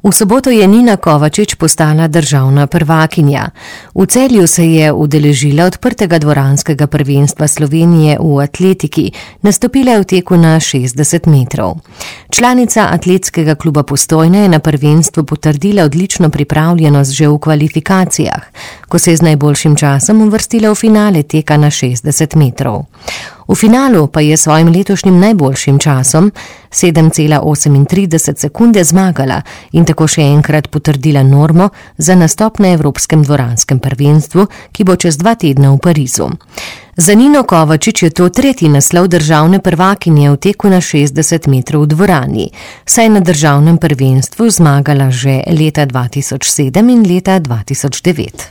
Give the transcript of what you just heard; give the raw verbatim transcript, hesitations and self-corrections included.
V soboto je Nina Kovačič postala državna prvakinja. V Celju se je udeležila odprtega dvoranskega prvenstva Slovenije v atletiki, nastopila je v teku na šestdeset metrov. Članica atletskega kluba Postojna je na prvenstvu potrdila odlično pripravljenost že v kvalifikacijah, ko se je z najboljšim časom uvrstila v finale teka na šestdeset metrov. V finalu pa je svojim letošnjim najboljšim časom sedem cela osemintrideset sekunde zmagala in tako še enkrat potrdila normo za nastop na Evropskem dvoranskem prvenstvu, ki bo čez dva tedna v Parizu. Za Nino Kovačič je to tretji naslov državne prvakinje v teku na šestdeset metrov v dvorani, saj na državnem prvenstvu zmagala že leta dva tisoč sedem in leta dva tisoč devet.